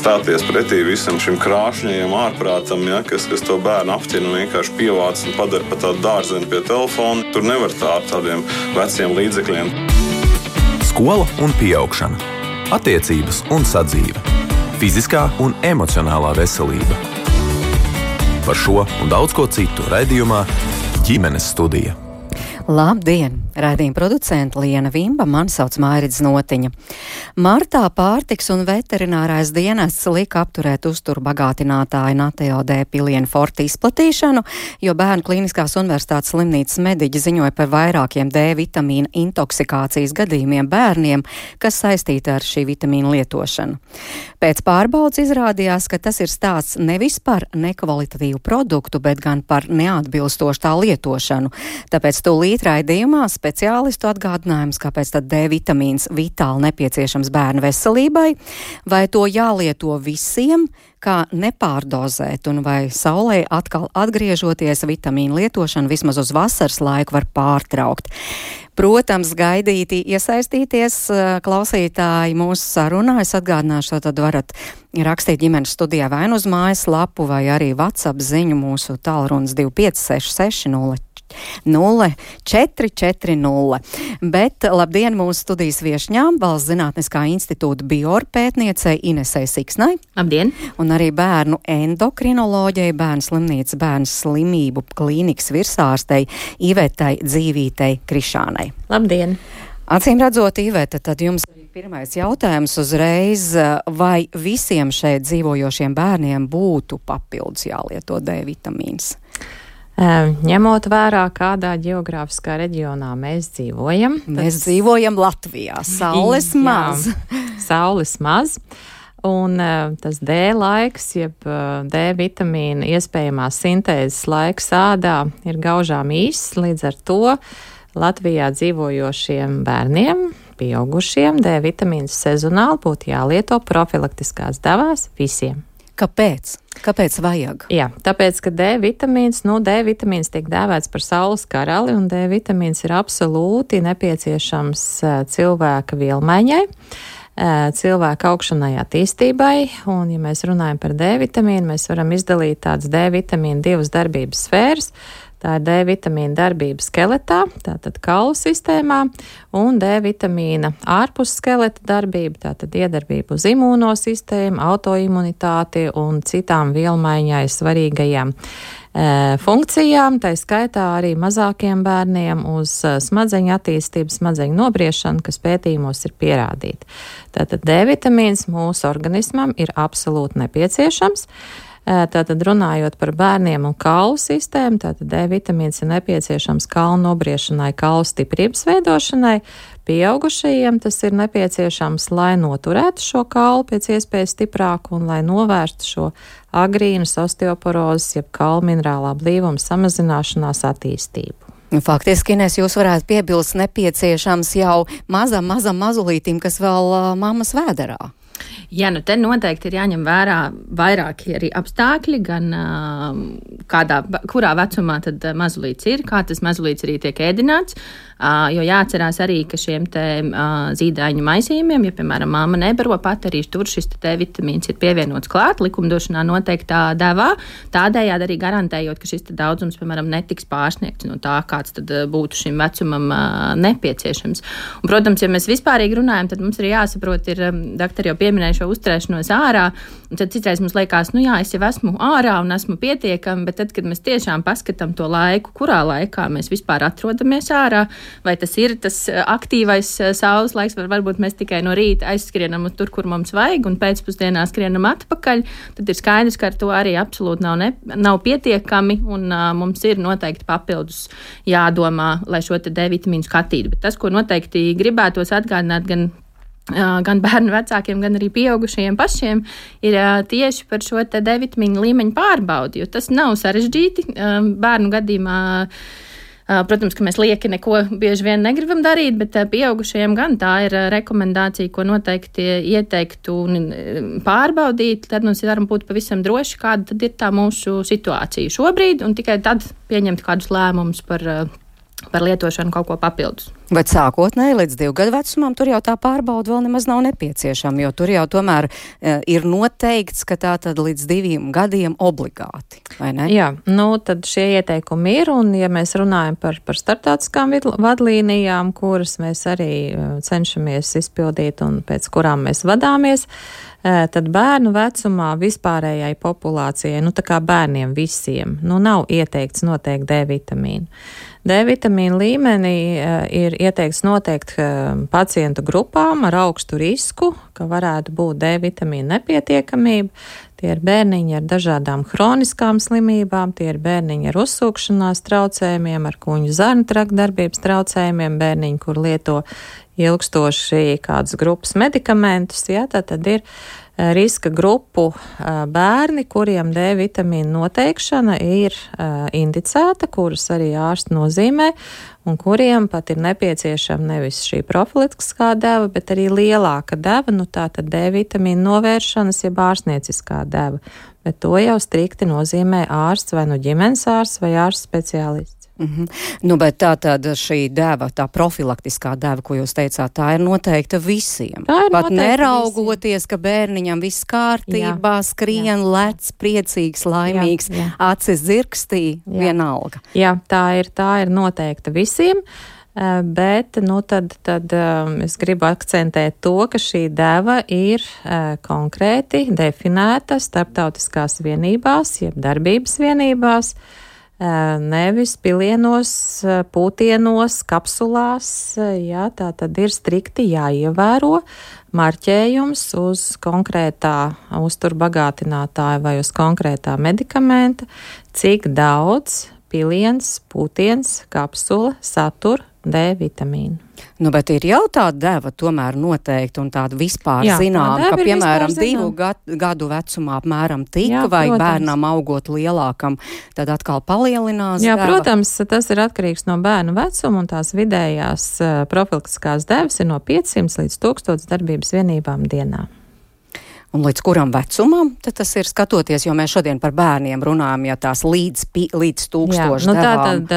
stāties pretī visam šim krāšņajam ārprātam, ja, kas to bērnu apķina un vienkārši pievāc un padara pa tādu dārzeni pie telefona. Tur nevar tā ar tādiem veciem līdzekļiem. Skola un pieaugšana, attiecības un sadzīve, fiziskā un emocionālā veselība. Par šo un daudz ko citu raidījumā Ģimenes studija. Labdien! Raidījuma producente Liena Vimba, mani sauc Mairits Notiņa. Martā pārtiks un veterinārais dienests lika apturēt uzturu bagātinātāju Nateo D pilienu forti izplatīšanu, jo Bērnu Kliniskās universitātes slimnīcas mediķi ziņoja par vairākiem D vitamīna intoksikācijas gadījumiem bērniem, kas saistīti ar šī vitamīna lietošanu. Pēc pārbaudas izrādījās, ka tas ir stāsts nevis par nekvalitatīvu produktu, bet gan par neatbilstošu tā lietošanu. Tāpēc tūlīt raidījumā speciālistu atgādinājums, kāpēc tad D vitamīns vitāli nepieciešams bērnu veselībai, vai to jālieto visiem, kā nepārdozēt, un vai saulē atkal atgriežoties vitamīnu lietošanu vismaz uz vasaras laiku var pārtraukt. Protams, gaidīti iesaistīties klausītāji mūsu sarunā. Es atgādināšu, tad varat rakstīt ģimenes studijā vai uz mājas lapu, vai arī WhatsApp ziņu mūsu tālrunis 2566 0440. Bet labdien mūsu studijas viešņām, Valsts Zinātniskā institūta bioorpētniecei Inesei Siksnai. Labdien! Un arī bērnu endokrinoloģijai, Bērnu slimnīcas bērnu slimību klīnikas virsārstei Ivetai Dzīvītei Krišānai. Labdien! Acīm redzot, Iveta, tad jums arī pirmais jautājums uzreiz, vai visiem šeit dzīvojošiem bērniem būtu papildus jālieto D vitamīns? Ņemot vērā, kādā ģeogrāfiskā reģionā mēs dzīvojam. Mēs dzīvojam Latvijā. Saules maz. Saules maz. Un tas D laiks, jeb D vitamīna iespējamā sintēzes laiks ādā ir gaužām īss. Līdz ar to Latvijā dzīvojošiem bērniem, pieaugušiem, D vitamīns sezonāli būtu jālieto profilaktiskās devās visiem. Kāpēc? Kāpēc vajag? Jā, tāpēc, ka D vitamīns tiek dēvēts par saules karali, un D vitamīns ir absolūti nepieciešams cilvēka vielmaiņai, cilvēka augšanai attīstībai, un, ja mēs runājam par D vitamīnu, mēs varam izdalīt tādas D vitamīna divas darbības sfēras. Tā ir D vitamīna darbība skeletā, tātad kaulu sistēmā, un D vitamīna ārpus skeleta darbība, tātad iedarbība uz imūno sistēmu, autoimunitāti un citām vielmaiņai svarīgajām funkcijām, tai skaitā arī mazākiem bērniem uz smadzeņu attīstību, smadzeņu nobriešanu, kas pētījumos ir pierādīti. Tātad D vitamīns mūsu organismam ir absolūti nepieciešams. Tātad runājot par bērniem un kaulu sistēmu, tātad D vitamīns ir nepieciešams kaulu nobriešanai, kaulu stiprības veidošanai. Pieaugušajiem tas ir nepieciešams, lai noturētu šo kaulu pēc iespējas stiprāku un lai novērstu šo agrīnas osteoporozes, jeb kaulu minerālā blīvuma samazināšanās attīstību. Faktiski, Ines, jūs varētu piebilst nepieciešams jau mazam mazulītim, kas vēl mammas vēderā. Jā, nu te noteikti ir jāņem vērā vairāki arī apstākļi, gan kurā vecumā tad mazulīts ir, kā tas mazulīts arī tiek ēdināts, jo jāatcerās arī, ka šiem te zīdaiņu maisījumiem, ja, piemēram, mamma nebaro pat, arī tur šis te vitamīns ir pievienots klāt, likumdošanā noteiktā devā, tādējādi arī garantējot, ka šis te daudzums, piemēram, netiks pārsniegts no tā, kāds tad būtu šim vecumam nepieciešams. Un, protams, ja mēs vispārīgi runājam, tad mums ir jāsaprot, doktori jau pieminēja šo uzturēšanos ārā, un tad citreiz mums liekas, nu jā, es jau esmu ārā un esmu pietiekami, bet tad, kad mēs tiešām paskatām to laiku, kurā laikā mēs vispār atrodamies ārā, vai tas ir tas aktīvais saules laiks, vai varbūt mēs tikai no rīta aizskrienam tur, kur mums vajag, un pēcpusdienā skrienam atpakaļ, tad ir skaidrs, ka ar to arī absolūti nav pietiekami, un mums ir noteikti papildus jādomā, lai šo te D vitamīnu skatītu. Bet tas, ko noteikti gribētos atgādināt gan bērnu vecākiem, gan arī pieaugušajiem pašiem, ir tieši par šo te D vitamīnu līmeņu pārbaudi, jo tas nav sarežģīti. Bērnu gadījumā, protams, ka mēs lieki neko bieži vien negribam darīt, bet pieaugušajiem gan tā ir rekomendācija, ko noteikti ieteiktu pārbaudīt, tad mums varam būt pavisam droši, kāda tad ir tā mūsu situācija šobrīd, un tikai tad pieņemt kādus lēmumus par par lietošanu kaut ko papildus. Bet sākotnēji līdz 2 gadu vecumam tur jau tā pārbauda vēl nemaz nav nepieciešama, jo tur jau tomēr ir noteikts, ka tā tad līdz 2 gadiem obligāti, vai ne? Jā, tad šie ieteikumi ir, un ja mēs runājam par starptautiskām vadlīnijām, kuras mēs arī cenšamies izpildīt un pēc kurām mēs vadāmies, tad bērnu vecumā vispārējai populācijai, tā kā bērniem visiem, nav ieteikts noteikti D vitamīnu. D vitamīna līmenī ir ieteikts noteikti pacientu grupām ar augstu risku, ka varētu būt D vitamīna nepietiekamība. Tie ir bērniņi ar dažādām hroniskām slimībām, tie ir bērniņi ar uzsūkšanās traucējumiem, ar kuņģu zarnu trakta darbības traucējumiem, bērniņi, kur lieto ilgstoši kādas grupas medikamentus, tad ir riska grupu bērni, kuriem D vitamīna noteikšana ir indicēta, kuras arī ārsti nozīmē, un kuriem pat ir nepieciešama nevis šī profilaktiskā deva, bet arī lielāka deva, tātad D vitamīna novēršanas, jeb ārstnieciskā deva. Bet to jau strikti nozīmē ārsts vai ģimenes ārsts vai ārsts speciālists. Bet tā tad šī deva, tā profilaktiskā deva, ko jūs teicāt, tā ir noteikta visiem. Tā ir pat noteikti neraugoties, ka bērniņam viss kārtībā, skrien, lec, priecīgs, laimīgs, acis dzirkstī, vienalga. Jā, tā ir noteikta visiem. Bet, tad es gribu akcentēt to, ka šī deva ir konkrēti definēta starptautiskās vienībās, jeb darbības vienībās, nevis pilienos, pūtienos, kapsulās, tā tad ir strikti jāievēro marķējums uz konkrētā uzturbagātinātāja vai uz konkrētā medikamenta, cik daudz piliens, pūtiens, kapsula satur D vitamīnu. Bet ir jau tāda deva tomēr noteikti un tāda vispār zinām, ka, piemēram, 2 gadu vecumā apmēram vai protams. Bērnam augot lielākam, tad atkal palielinās deva. Protams, tas ir atkarīgs no bērnu vecuma, un tās vidējās profilaktiskās devas ir no 500 līdz 1000 darbības vienībām dienā. Un līdz kuram vecumam tad tas ir skatoties, jo mēs šodien par bērniem runājam, ja tās līdz 1000 devām. Tātad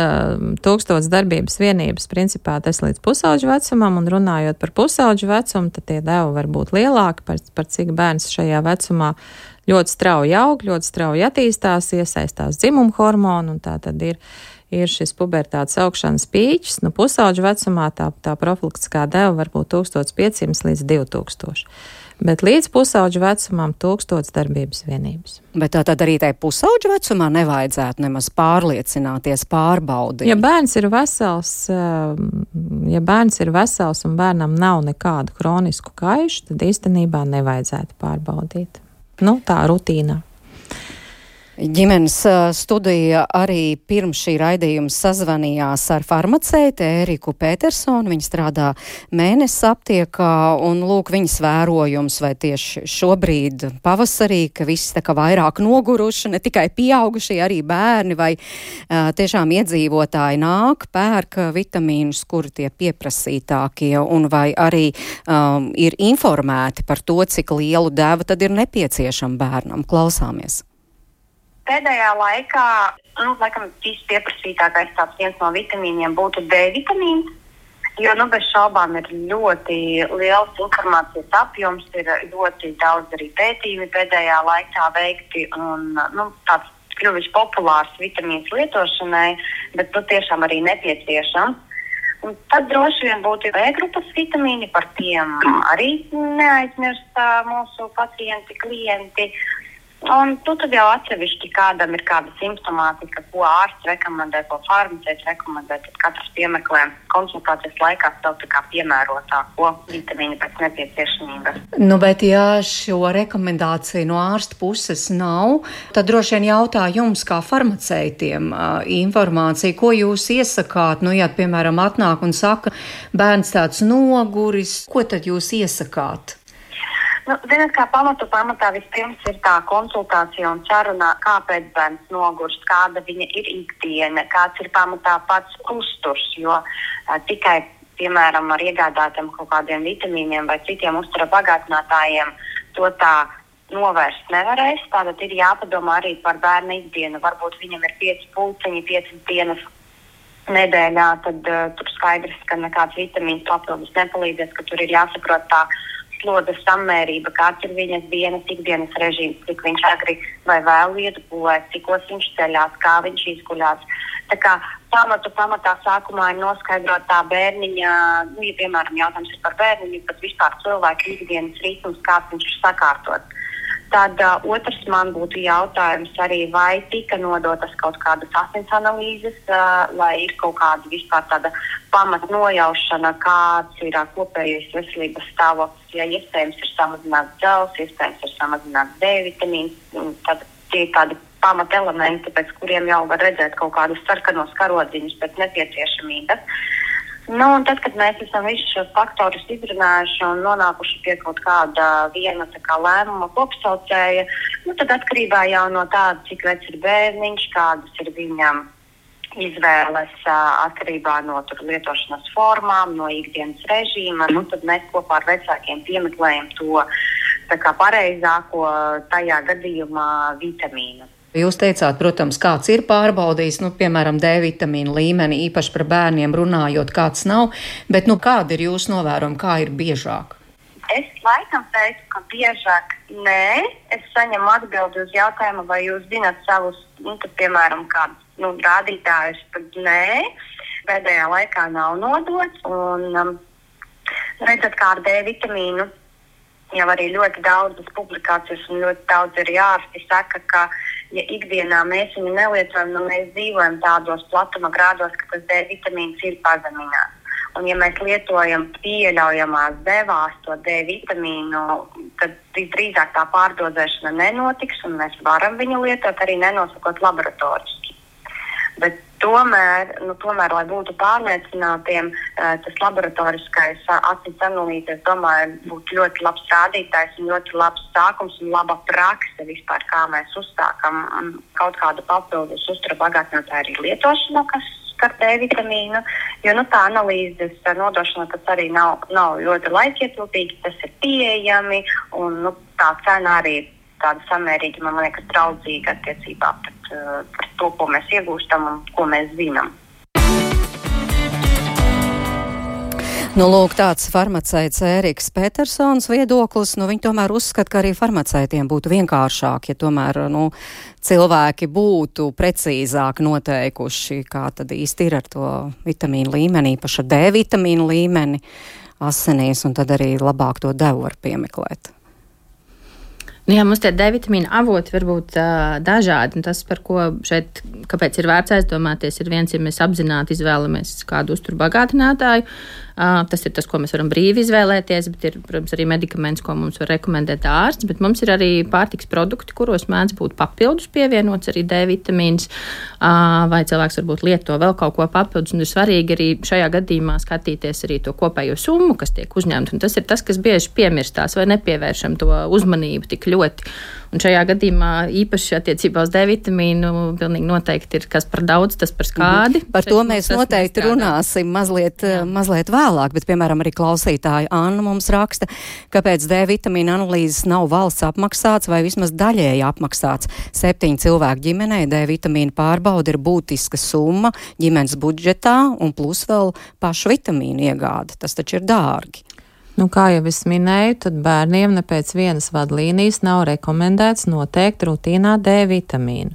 1000 darbības vienības principā tas līdz pusauģu vecumam, un runājot par pusauģu vecumu, tad tie devi var būt lielāki, par cik bērns šajā vecumā ļoti strauji aug, ļoti strauji attīstās, iesaistās dzimumu hormonu, un tā tad ir šis pubertātes augšanas pīķis. Pusauģu vecumā tā profilaktiskā deva var būt 1500 līdz 2000. Bet līdz pusauģu vecumam 1000 darbības vienības. Bet tā tad arī tai pusauģu vecumā nevajadzētu nemaz pārliecināties, pārbaudīt. Ja bērns ir vesels un bērnam nav nekādu hronisku kaišu, tad īstenībā nevajadzētu pārbaudīt. Tā rutīnā. Ģimenes studija arī pirms šī raidījuma sazvanījās ar farmaceiti Ēriku Petersonu. Viņa strādā Mēnesis aptiekā, un lūk viņas vērojums, vai tieši šobrīd pavasarī, ka visi tā kā vairāk noguruši, ne tikai pieaugušie, arī bērni, vai tiešām iedzīvotāji nāk, pērk vitamīnus, kuri tie pieprasītākie, un vai arī ir informēti par to, cik lielu devu tad ir nepieciešama bērnam. Klausāmies. Pēdējā laikā, laikam, vispieprasītākais tāds viens no vitamīniem būtu D vitamīns, jo, bez šaubām ir ļoti liels informācijas apjoms, ir ļoti daudz arī pētījumi pēdējā laikā veikti un, tāds kļuvis populārs vitamīns lietošanai, bet, tiešām arī nepieciešams. Un tad droši vien būtu B grupas vitamīni, par tiem arī neaizmirst mūsu pacienti, klienti. Un tad jau atsevišķi kādam ir kāda simptomātika, ko ārsts rekomendē, ko farmaceits rekomendē, tad katrs piemeklē konsultācijas laikā sev tā kā piemērotāko vitamīnu pēc nepieciešamības. Bet ja šo rekomendāciju no ārsta puses nav, tad droši vien jautā jums kā farmaceitiem informāciju, ko jūs iesakāt, ja, piemēram, atnāk un saka, bērns tāds noguris, ko tad jūs iesakāt? Ziniet, kā pamatā vispirms ir tā konsultācija un saruna, kāpēc bērns nogurst, kāda viņa ir ikdiena, kāds ir pamatā pats uzturs, jo tikai, piemēram, ar iegādātiem kaut kādiem vitamīniem vai citiem uztura bagātinātājiem to tā novērst nevarēs. Tātad ir jāpadomā arī par bērna ikdienu. Varbūt viņam ir 5 pulciņi, 5 dienas nedēļā, tad tur skaidrs, ka nekāds vitamīns papildus nepalīdzēs, ka tur ir jāsaprot tā slodzes samērība, kāds ir viņas ikdienas režīms, cik viņš agri vai vēlu iet gulēt, cikos viņš ceļās, kā viņš izguļās. Tā kā pamatā sākumā ir noskaidrot tā bērniņa, ja piemēram jautājums ir par bērniņu, bet vispār cilvēku ikdienas ritms, kāds viņš ir sakārtots. Tad otrs man būtu jautājums arī, vai tika nodotas kaut kādas asins analīzes, lai ir kaut kāda vispār tāda pamat nojaušana, kāds ir kopējais veselības stāvoklis, ja iespējams ir samazināts dzels, iespējams ir samazināts D vitamīns, tad tie tādi pamat elementi, pēc kuriem jau var redzēt kaut kādus sarkanos karodziņus pēc nepieciešamības. Un tad, kad mēs esam visus šos faktorus izrunājuši un nonākuši pie kaut kāda viena lēmuma kopsaucēja, tad atkarībā jau no tāda, cik vecs ir bērniņš, kādas ir viņam izvēles atkarībā no lietošanas formām, no ikdienas režīma, tad mēs kopā ar vecākiem piemeklējam to pareizāko tajā gadījumā vitamīnu. Jūs teicāt, protams, kāds ir pārbaudījis, piemēram, D vitamīnu līmeni, īpaši par bērniem runājot, kāds nav, bet kāda ir jūsu novērojuma, kā ir biežāk? Es laikam teicu, ka biežāk nē. Es saņemu atbildi uz jautājumu, vai jūs zināt savus, piemēram, kādus rādītājus, tad nē. Pēdējā laikā nav nodots, un redzat, kā ar D vitamīnu jau arī ļoti daudzas publikācijas un ļoti daudz arī ārsti saka, ka ja ikdienā mēs viņu nelietojam, mēs dzīvojam tādos platuma grādos, ka tas D vitamīns ir pazemināts. Un ja mēs lietojam pieļaujamās devās to D vitamīnu, tad visdrīzāk tā pārdozēšana nenotiks un mēs varam viņu lietot arī nenosakot laboratoriski. Bet tomēr, lai būtu pārliecinātiem, tas laboratoriskais asins analīze, es domāju, būtu ļoti labs rādītājs un ļoti labs sākums un laba prakse vispār, kā mēs uzsākam kaut kādu papildus uzturu bagātinātāju arī lietošanu, kas skar D vitamīnu, jo tā analīzes nodošana tas arī nav ļoti laikietilpīgi, tas ir pieejami un tā cena arī ir tāda samērīga, man liekas, draudzīga attiecībā par to, ko mēs iegūstam un ko mēs zinām. Lūk, tāds farmaceits Ēriks Petersons viedoklis. Viņi tomēr uzskata, ka arī farmaceitiem būtu vienkāršāk, ja tomēr cilvēki būtu precīzāk noteikuši, kā tad īsti ir ar to vitamīnu līmeni, īpaši ar D vitamīnu līmeni asinīs, un tad arī labāk to devu var piemeklēt. Jā, mums tie D vitamīna avoti var būt dažādi. Tas, par ko šeit, kāpēc ir vērts aizdomāties, ir viens, ja mēs apzināti izvēlamies kādu uzturu bagātinātāju. Tas ir tas, ko mēs varam brīvi izvēlēties, bet ir, protams, arī medikaments, ko mums var rekomendēt ārsts, bet mums ir arī pārtiks produkti, kuros mēdz būt papildus pievienots arī D vitamīns, vai cilvēks varbūt lieto vēl kaut ko papildus, un ir svarīgi arī šajā gadījumā skatīties arī to kopējo summu, kas tiek uzņemta, un tas ir tas, kas bieži piemirstās vai nepievēršam to uzmanību tik ļoti. Un šajā gadījumā īpaši attiecībā uz D vitamīnu pilnīgi noteikti ir kas par daudz, tas par skādi. Par to mēs noteikti runāsim mazliet vēlāk, bet, piemēram, arī klausītāja Anna mums raksta, kāpēc D vitamīna analīzes nav valsts apmaksāts vai vismaz daļēji apmaksāts. 7 cilvēku ģimenei D vitamīna pārbauda ir būtiska summa ģimenes budžetā un plus vēl pašu vitamīnu iegāde. Tas taču ir dārgi. Kā jau es minēju, tad bērniem ne pēc vienas vadlīnijas nav rekomendēts noteikt rutīnā D vitamīnu.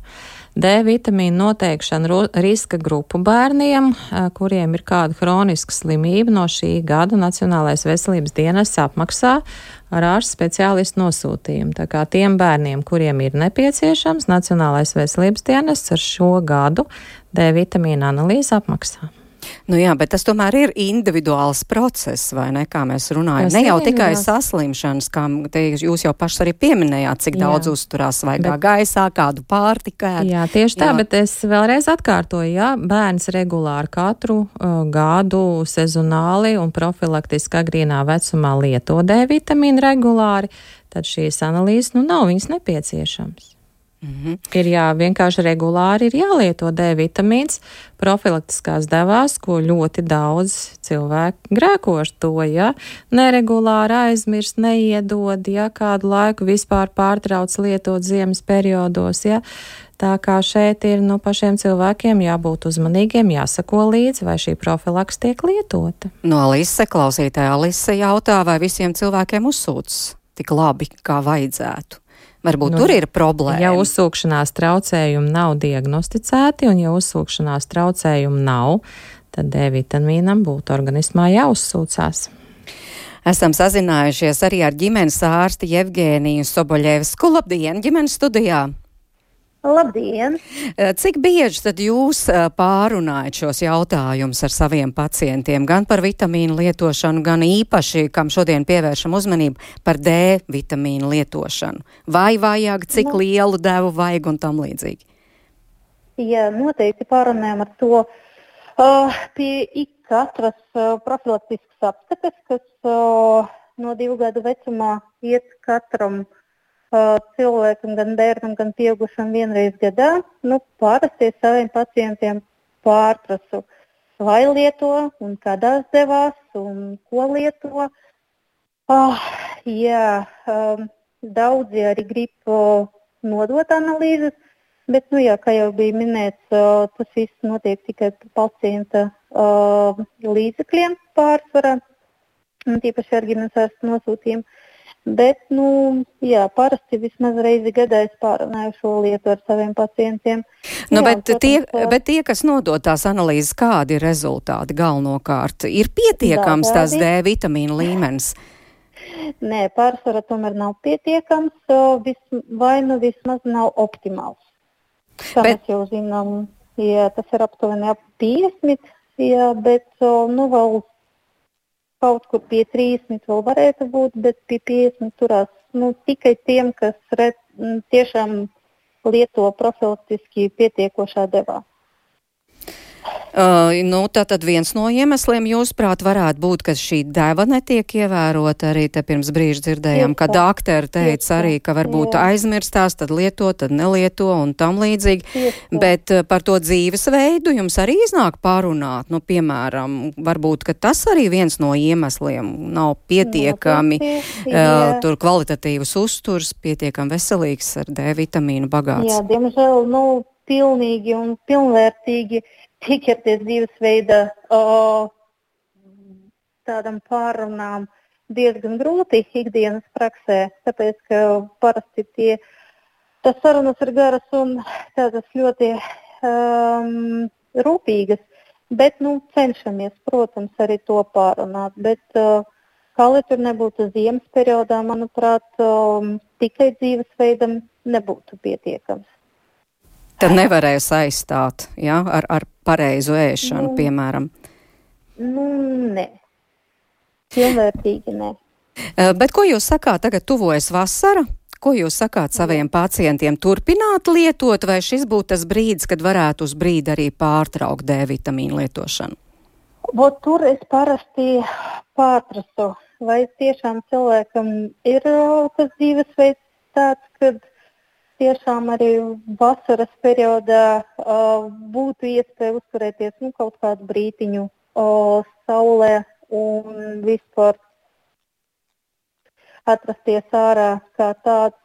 D vitamīnu noteikšana riska grupu bērniem, kuriem ir kāda hroniska slimība, no šī gada Nacionālais veselības dienests apmaksā ar ārsta speciālistu nosūtījumu. Tā kā tiem bērniem, kuriem ir nepieciešams, Nacionālais veselības dienests ar šo gadu D vitamīna analīzi apmaksā. Jā, bet tas tomēr ir individuāls process, vai ne, kā mēs runājam. Ne jau tikai saslimšanas, kā jūs jau pašs arī pieminējāt, cik daudz uzturās svaigā gaisā, kādu pārtiku ēd. Jā, tieši tā, bet es vēlreiz atkārtoju, bērns regulāri katru gadu sezonāli un profilaktiski agrīnā vecumā lieto D vitamīnu regulāri, tad šīs analīzes nav viņas nepieciešams. Ir vienkārši regulāri ir jālieto D vitamīns profilaktiskās devās, ko ļoti daudz cilvēku grēko ar to, neregulāri aizmirst, neiedod, kādu laiku vispār pārtrauc lietot ziemas periodos, Tā kā šeit ir pašiem cilvēkiem jābūt uzmanīgiem, jāsako līdzi, vai šī profilaks tiek lietota. No Alise, klausītāja Alise jautā, vai visiem cilvēkiem uzsūcas tik labi, kā vajadzētu. Varbūt tur ir problēma. Ja uzsūkšanās traucējumi nav diagnosticēti, un ja uzsūkšanās traucējumi nav, tad D vitamīnam būtu organismā jāuzsūcās. Esam sazinājušies arī ar ģimenes ārsti Jevgēniju Soboļevsku. Labdien, ģimenes studijā! Labdien! Cik bieži tad jūs pārunājat šos jautājumus ar saviem pacientiem, gan par vitamīnu lietošanu, gan īpaši, kam šodien pievēršam uzmanību, par D vitamīnu lietošanu? Vai vajag, cik lielu devu vajag un tam līdzīgi? Jā, noteikti pārunājam ar to pie katras profilaktiskas apskates, kas no 2 gadu vecumā iet katram cilvēkam, gan bērnam, gan pieaugušam vienreiz gadā. Parasti saviem pacientiem pārprasu, vai lieto un kādās devās un ko lieto. Daudzi arī grib nodot analīzes, bet, kā jau bija minēts, tas viss notiek tikai pacienta līdzekļiem pārsvarā, un tīpaši ar ģimenes ārsta nosūtījumu. Bet, parasti vismaz reizi gadā es pārunāju šo lietu ar saviem pacientiem. Bet tie, kas nodod tās analīzes, kādi ir rezultāti galvenokārt? Ir pietiekams tās D vitamīna līmenis? Nē, pārsvarā tomēr nav pietiekams, vai vismaz nav optimāls. Kā mēs jau zinām, tas ir aptuveni ap 50, bet vēl kaut kur pie 30 vēl varētu būt, bet pie 50 turās tikai tiem, kas tiešām lieto profilaktiski pietiekošā devā. Tātad viens no iemesliem, jūsuprāt, varētu būt, ka šī deva netiek ievērota. Arī te pirms brīža dzirdējām, ka doktori teica arī, ka varbūt aizmirstās, tad lieto, tad nelieto un tam līdzīgi. Bet par to dzīvesveidu jums arī iznāk pārunāt. Piemēram, varbūt, ka tas arī viens no iemesliem nav pietiekami tur kvalitatīvs uzturs, pietiekami veselīgs ar D vitamīnu bagāts. Jā, diemžēl, pilnīgi un pilnvērtīgi ķerties dzīvesveida tādam pārunām diezgan grūti ikdienas praksē, tāpēc, ka parasti tas sarunas ir garas un tādas ļoti rūpīgas, bet, cenšamies, protams, arī to pārunāt, bet, kā lai tur nebūtu ziemas periodā, manuprāt, tikai dzīvesveidam nebūtu pietiekams. Tad nevarēs aizstāt, ar pareizu ēšanu, piemēram? Nē. Pilnvērtīgi nē. Bet ko jūs sakāt, tagad tuvojas vasara? Ko jūs sakāt saviem pacientiem? Turpināt lietot, vai šis būtu tas brīdis, kad varētu uz brīdi arī pārtraukt D vitamīnu lietošanu? Tur es parasti pārprasu, vai tiešām cilvēkam ir tas dzīvesveids tāds, kad tiešām arī vasaras periodā būtu iespēja uzturēties kaut kādu brītiņu saulē un vispār atrasties ārā kā tāds.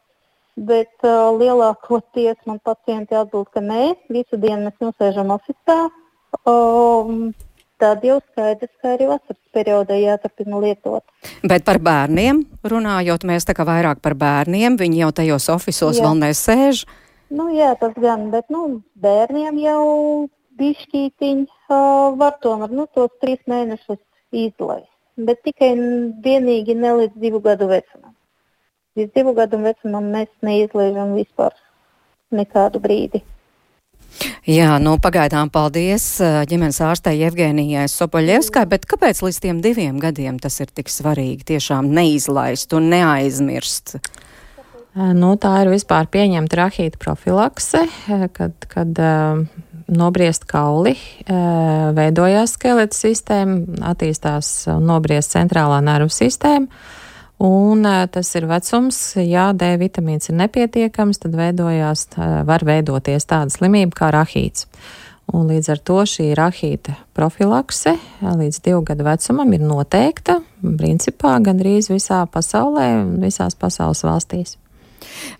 Bet lielākoties man pacienti atbild, ka nē, visu dienu mēs nosēžam ofisā. Tad jau skaidrs, ka arī vasaras periodā jāturpina lietot. Bet par bērniem runājot, mēs tā kā vairāk par bērniem, viņi jau tajos ofisos vēl nesēž. Jā, tas gan, bet bērniem jau bišķītiņi var tomēr tos 3 mēnešus izlaist. Bet tikai vienīgi ne līdz 2 gadu vecumam. Līdz 2 gadu vecumam mēs neizlaižam vispār nekādu brīdi. Jā, pagaidām paldies ģimenes ārstei Jevgēnijai Soboļevskai, bet kāpēc līdz tiem 2 gadiem tas ir tik svarīgi tiešām neizlaist un neaizmirst? Tā ir vispār pieņemta rahīta profilakse, kad nobriest kauli, veidojās skeleta sistēma, attīstās un nobriest centrālā nervu sistēma. Un tas ir vecums, ja D vitamīns ir nepietiekams, tad var veidoties tāda slimība kā rahīts. Un līdz ar to šī rahīta profilakse līdz 2 gadu vecumam ir noteikta, principā gandrīz visā pasaulē un visās pasaules valstīs.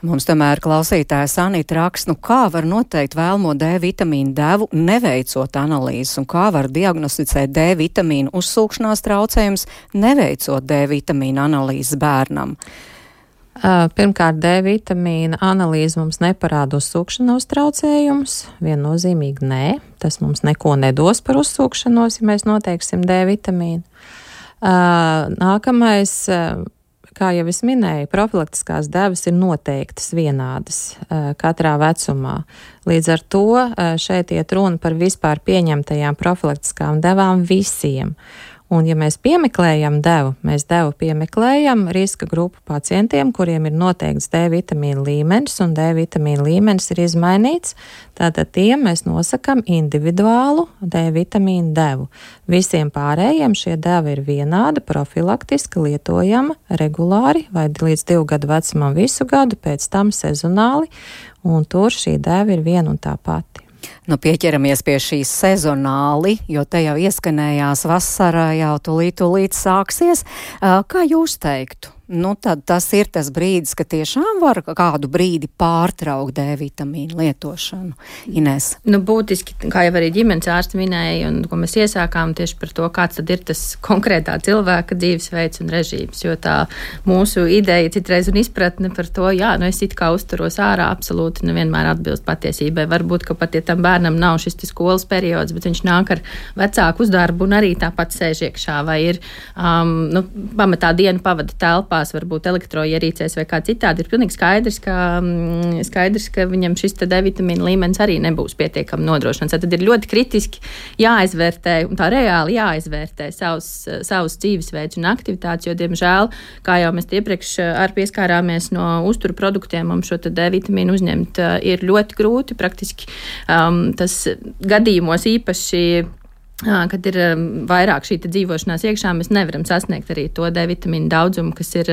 Mums tomēr klausītājs Anita raksta, kā var noteikt vēlamo D vitamīnu devu, neveicot analīzes, un kā var diagnosticēt D vitamīnu uzsūkšanās traucējumus, neveicot D vitamīnu analīzes bērnam. Pirmkārt, D vitamīna analīze mums neparāda uzsūkšanos traucējumus. Viennozīmīgi nē, tas mums neko nedos par uzsūkšanos, ja mēs noteiksim D vitamīnu. Nākamais, kā jau es minēju, profilaktiskās devas ir noteiktas vienādas katrā vecumā. Līdz ar to šeit iet runa par vispār pieņemtajām profilaktiskām devām visiem. Un, ja mēs piemeklējam devu, mēs devu piemeklējam riska grupu pacientiem, kuriem ir noteikts D vitamīna līmenis, un D vitamīna līmenis ir izmainīts. Tātad tiem mēs nosakam individuālu D vitamīna devu. Visiem pārējiem šie devi ir vienāda, profilaktiski lietojama regulāri vai līdz 2 gadu vecumam visu gadu, pēc tam sezonāli, un tur šī deva ir viena un tā pati. Nu, pieķeramies pie šīs sezonāli, jo te jau ieskanējās vasara, jau tūlīt sāksies. Kā jūs teiktu? Nu, tad tas ir tas brīdis, ka tiešām var kādu brīdi pārtraukt D vitamīnu lietošanu. Inés? Nu, būtiski, kā jau arī ģimenes ārsti minēja, un ko mēs iesākām tieši par to, kāds tad ir tas konkrētā cilvēka dzīvesveids un režīms, jo tā mūsu ideja citreiz un izpratne par to, es it kā uzturos ārā, absolūti nevienmēr atbilst patiesībai. Varbūt, ka pat ja tam bērnam nav šis skolas periods, bet viņš nāk ar vecāku uz darbu un arī tāpat sēž iekšā, vai ir pamatā dienu pavada telpā, varbūt elektroierīcēs vai kā citādi, ir pilnīgi skaidrs, ka viņam šis D vitamīna līmenis arī nebūs pietiekami nodrošināts. Tad ir ļoti kritiski jāizvērtē un tā reāli jāizvērtē savus dzīvesveids un aktivitātes, jo, diemžēl, kā jau mēs iepriekš pieskārāmies no uzturu produktiem, mums šo D vitamīnu uzņemt ir ļoti grūti, praktiski tas gadījumos īpaši, kad ir vairāk šī dzīvošanās iekšā, mēs nevaram sasniegt arī to D vitamīnu daudzumu, kas ir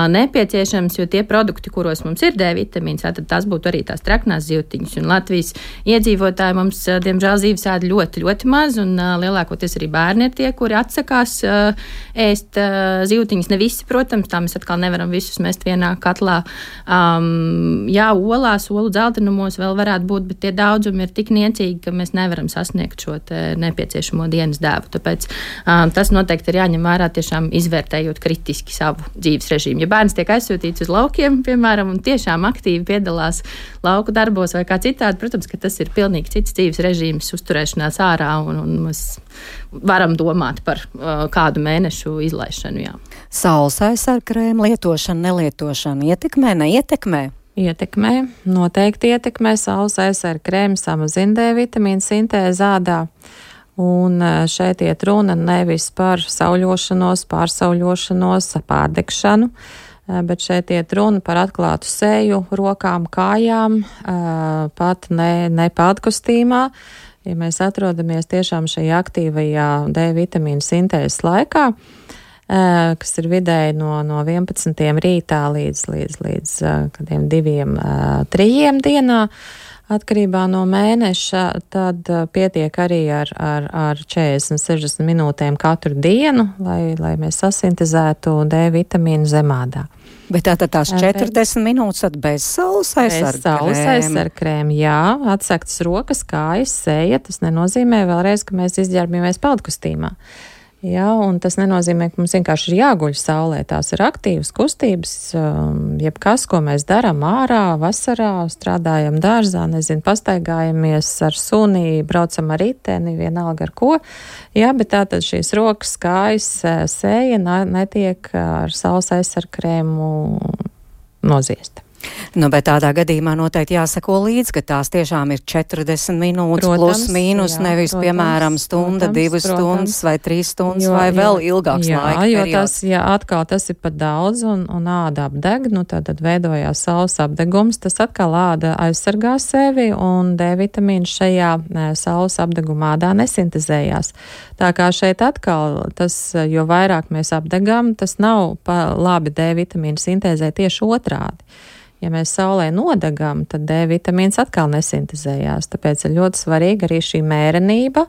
nepieciešams, jo tie produkti, kuros mums ir D vitamīns, tad tas būtu arī tās traknās zivtiņas. Un Latvijas iedzīvotāji mums, diemžēl, zīves ēd ļoti, ļoti maz, un lielākoties arī bērni ir tie, kuri atsakās ēst zivtiņas. Ne visi, protams, tā mēs atkal nevaram visus mest vienā katlā. Olās, olu dzeltenumos vēl varētu būt, bet tie daudzumi ir tik niecīgi, ka mēs nevaram sasniegt šo nepieciešamo dienas devu. Tāpēc tas noteikti ir jāņem vērā, tiešām izvērtējot kritiski savu dzīves režīmu. Ja bērns tiek aizsūtīts uz laukiem, piemēram, un tiešām aktīvi piedalās lauku darbos vai kā citādi, protams, ka tas ir pilnīgi cits dzīves režīms, uzturēšanās ārā, un mēs varam domāt par kādu mēnešu izlaišanu. Jā. Saules aizsargkrēma lietošana, nelietošana ietekmē, neietekmē? Ietekmē, noteikti ietekmē. Saules aizsargkrēma samazina D vitamīnu sintēzi ādā. Un šeit iet runa nevis par sauļošanos, pārsauļošanos, pārdegšanu, bet šeit iet runa par atklātu seju, rokām, kājām, pat ne pātkostīmā. Ja mēs atrodamies tiešām šajā aktīvajā D vitamīnu sintēzes laikā, kas ir vidēji no 11. rītā līdz 2-3 dienā, atkarībā no mēneša, tad pietiek arī ar 40-60 minūtēm katru dienu, lai mēs sasintezētu D vitamīnu zemādā. Bet tātad tās 40 minūtes tad bez saules aizsargkrēma? Bez saules aizsargkrēma, jā. Atsegtas rokas, kājas, seja. Tas nenozīmē vēlreiz, ka mēs izģērbamies peldkostīmā. Jā, un tas nenozīmē, ka mums vienkārši ir jāguļ saulē. Tās ir aktīvas kustības, jebkas, ko mēs darām ārā, vasarā, strādājam dārzā, pastaigājamies ar suni, braucam ar riteni, vienalga ar ko. Jā, bet tātad šīs rokas, kājas, seja netiek ar saules aizsargkrēmu noziesta. Nu, bet tādā gadījumā noteikti jāsako līdz, ka tās tiešām ir 40 minūtes plus mīnus, nevis, piemēram, stunda, 2 stundas vai 3 stundas vai vēl ilgāks laika periods. Atkal tas ir pat daudz un āda apdeg, tad veidojās saules apdegums, tas atkal āda aizsargā sevi un D vitamīns šajā saules apdeguma ādā nesintezējās. Tā kā šeit atkal tas, jo vairāk mēs apdegam, tas nav labi D vitamīnu sintēzē, tieši otrādi. Ja mēs saulē nodegam, tad D vitamīns atkal nesintezējās. Tāpēc ir ļoti svarīga arī šī mērenība,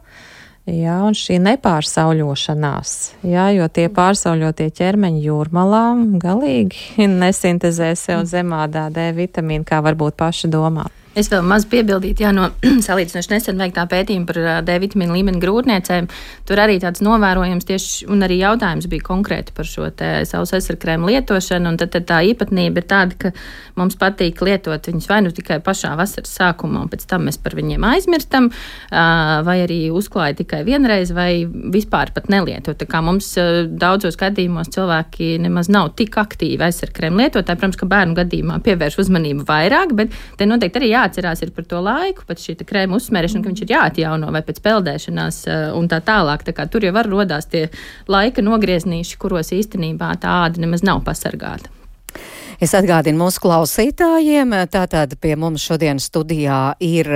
un šī nepārsauļošanās, jo tie pārsauļotie ķermeņi jūrmalā galīgi nesintezē sev zemādā D vitamīnu, kā varbūt paši domā. Es vēl maz piebildītu, no salīdzinoši nesen veiktā pētījuma par D vitamīnu līmeni grūtniecēm. Tur arī tāds novērojams tieši, un arī jautājums bija konkrēti par šo te saules aizsargkrēmu lietošanu, un tad tā īpatnība ir tāda, ka mums patīk lietot viņus vai nu tikai pašā vasaras sākumā, un pēc tam mēs par viņiem aizmirstam, vai arī uzklāja tikai vienreiz, vai vispār pat nelietot. Tā kā mums daudzos gadījumos cilvēki nemaz nav tik aktīvi aizsargkrēmu lietotāji. Protams, ka bērnu gadījumā pievērš uzmanību vairāk, bet te noteikti arī jāatcerās ir par to laiku, pat šī krēma uzsmērešana, ka viņš ir jāatjauno vai pēc peldēšanās un tā tālāk. Tā kā tur jau var rodās tie laika nogrieznīši, kuros īstenībā tā āda nemaz nav pasargāta. Es atgādinu mūsu klausītājiem, tātad pie mums šodien studijā ir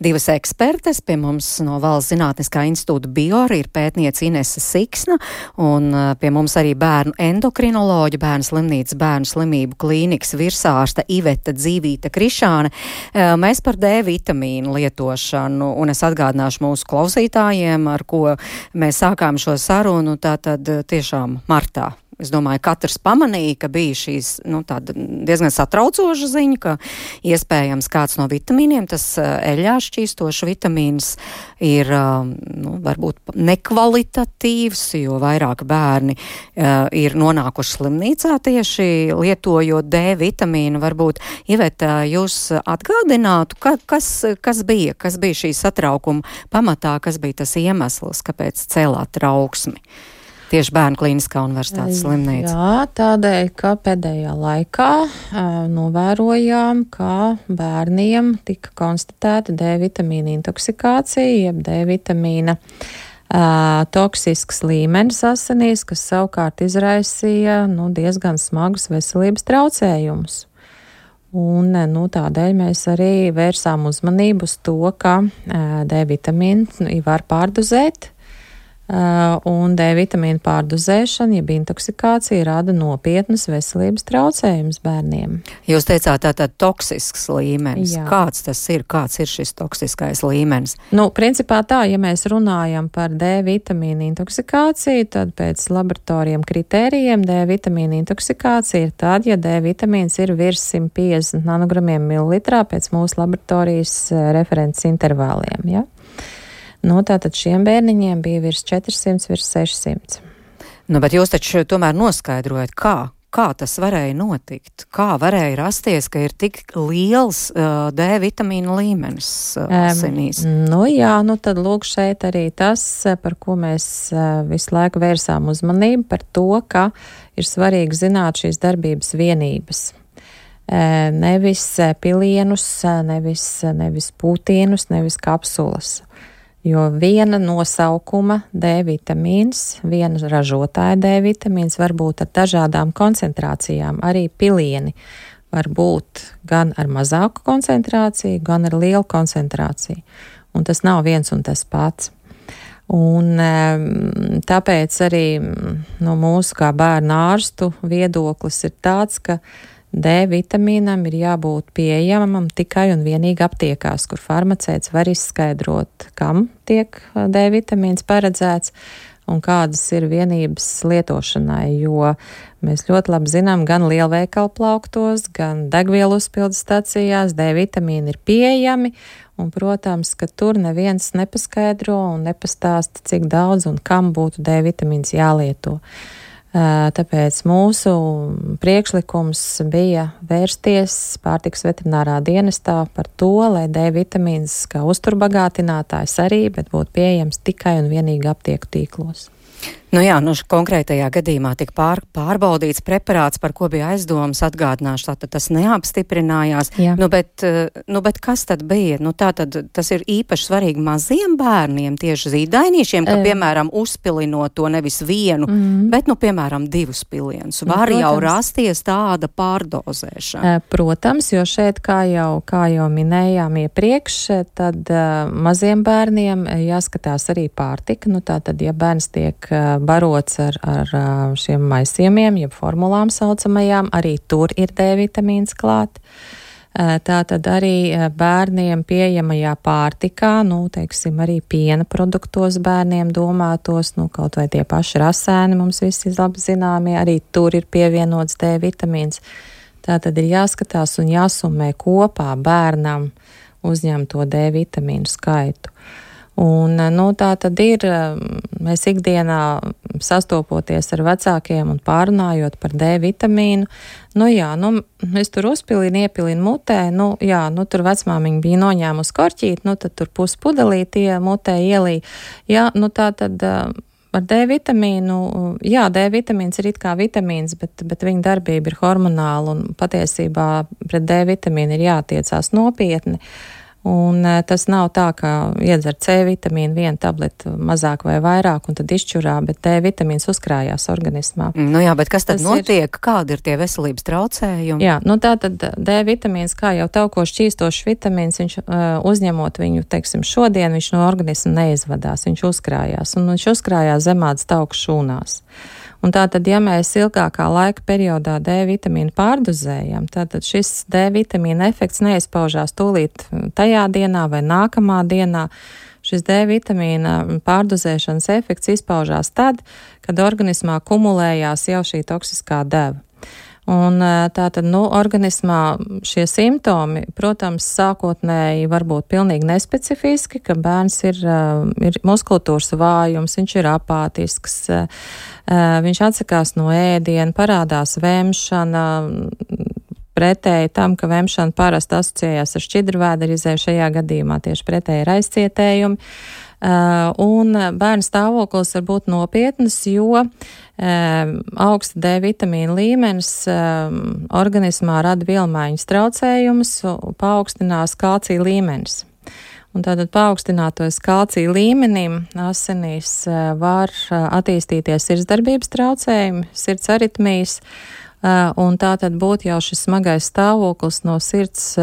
divas ekspertes, pie mums no Valsts Zinātniskā institūta Biora ir pētniece Inese Siksna, un pie mums arī bērnu endokrinoloģa, Bērnu slimnīcas bērnu slimību klīnikas virsārste Iveta Dzīvīta Krišāne. Mēs par D vitamīnu lietošanu, un es atgādināšu mūsu klausītājiem, ar ko mēs sākām šo sarunu, tātad tiešām martā. Es domāju, katrs pamanīja, ka bija šīs tāda diezgan satraucoša ziņa, ka iespējams kāds no vitamīniem, tas eļļā šķīstošs vitamīns, ir varbūt nekvalitatīvs, jo vairāk bērni ir nonākuši slimnīcā tieši lietojot D vitamīnu. Varbūt, Iveta, jūs atgādinātu, kas bija šī satraukuma pamatā, kas bija tas iemesls, kāpēc cēlāt trauksmi? Tieši Bērnu klīniskā universitātes slimnīca. Jā, tādēļ, ka pēdējā laikā novērojām, ka bērniem tika konstatēta D vitamīna intoksikācija, jeb D vitamīna toksisks līmenis asinīs, kas savukārt izraisīja diezgan smagus veselības traucējumus. Un tādēļ mēs arī vērsām uzmanību uz to, ka D vitamīnu var pārdozēt. Un D vitamīna pārdozēšana, jeb intoksikācija, rada nopietnas veselības traucējumus bērniem. Jūs teicāt tātad toksisks līmenis. Jā. Kāds ir šis toksiskais līmenis? Principā tā, ja mēs runājam par D vitamīna intoksikāciju, tad pēc laboratoriem kritērijiem D vitamīna intoksikācija ir tad, ja D vitamīns ir virs 150 nanogramiem mililitrā pēc mūsu laboratorijas references intervāliem, ja? Tātad šiem bērniņiem bija virs 400, virs 600. Bet jūs taču tomēr noskaidrojat, kā tas varēja notikt? Kā varēja rasties, ka ir tik liels D vitamīna līmenis asinīs? Tad lūk šeit arī tas, par ko mēs visu laiku vērsām uzmanību, par to, ka ir svarīgi zināt šīs darbības vienības. Nevis pilienus, nevis pūtienus, nevis kapsulas. Jo viena nosaukuma D vitamīns, viena ražotāja D vitamīns var būt ar dažādām koncentrācijām. Arī pilieni var būt gan ar mazāku koncentrāciju, gan ar lielu koncentrāciju. Un tas nav viens un tas pats. Un tāpēc arī no mūsu kā bērnu ārstu viedoklis ir tāds, ka D vitamīnam ir jābūt pieejamam tikai un vienīgi aptiekās, kur farmaceits var izskaidrot, kam tiek D vitamīns paredzēts un kādas ir vienības lietošanai, jo mēs ļoti labi zinām, gan lielveikalu plauktos, gan degvielu uzpildes stacijās D vitamīni ir pieejami, un, protams, ka tur neviens nepaskaidro un nepastāsta, cik daudz un kam būtu D vitamīns jālieto. Tāpēc mūsu priekšlikums bija vērsties pārtikas veterinārā dienestā par to, lai D vitamīns kā uzturbagātinātājs arī, bet būtu pieejams tikai un vienīgi aptieku tīklos. Nu jā, konkrētajā gadījumā tika pārbaudīts preparāts, par ko bija aizdomas, atgādināšu, tātad tas neapstiprinājās. Bet kas tad bija? Tātad tas ir īpaši svarīgi maziem bērniem, tieši zīdainīšiem, ka, piemēram, uzpilinot to nevis vienu, bet, piemēram, 2 pilienus. Var jau rasties tāda pārdozēšana. Protams, jo šeit, kā jau minējām iepriekš, tad maziem bērniem jāskatās arī pārtika. Tātad, ja bērns tiek barots ar šiem maisījumiem, jeb formulām saucamajām, arī tur ir D vitamīns klāt. Tātad arī bērniem pieejamajā pārtikā, teiksim, arī piena produktos bērniem domātos, kaut vai tie paši rasēni mums visi labi zināmie, arī tur ir pievienots D vitamīns. Tātad ir jāskatās un jāsummē kopā bērnam uzņemto D vitamīnu skaitu. Un, tā tad ir, mēs ikdienā sastopoties ar vecākiem un pārunājot par D vitamīnu, es tur uzpilinu, iepilinu mutē, tur vecmāmiņa bija noņēmusi korķīt, tad tur puspudelīti mutē ielī. Tā tad ar D vitamīnu, D vitamīns ir it kā vitamīns, bet viņa darbība ir hormonāla un patiesībā pret D vitamīnu ir jātiecās nopietni. Un tas nav tā, ka iedzer C vitamīnu 1 tableti mazāk vai vairāk, un tad izšķurā, bet D vitamīns uzkrājās organismā. Bet kas tad notiek? Kādi ir tie veselības traucējumi? Tātad D vitamīns, kā jau tauko šķīstošs vitamīns, viņš uzņemot viņu, teiksim, šodien, viņš no organisma neizvadās, viņš uzkrājās, un viņš uzkrājās zemādas tauku šūnās. Un tātad, ja mēs ilgākā laika periodā D vitamīnu pārdozējam, tātad šis D vitamīna efekts neizpaužās tūlīt tajā dienā vai nākamā dienā. Šis D vitamīna pārdozēšanas efekts izpaužās tad, kad organismā kumulējās jau šī toksiskā deva. Un tātad, organismā šie simptomi, protams, sākotnēji var būt pilnīgi nespecifiski, ka bērns ir muskulatūras vājums, viņš ir apātisks, viņš atsakās no ēdiena, parādās vemšana, pretēji tam, ka vemšana parasti asociējās ar šķidrvēderizēju, šajā gadījumā tieši pretēji ir aizcietējumi. Un bērnu stāvoklis var būt nopietnas, jo augsta D vitamīna līmenis organismā rada vielmaiņas traucējumus, paaugstinās kalcija līmenis. Un tātad paaugstinātojas kalcija līmenim asinīs var attīstīties sirdsdarbības traucējumi, sirds aritmijas, un tātad būtu jau šis smagais stāvoklis no sirds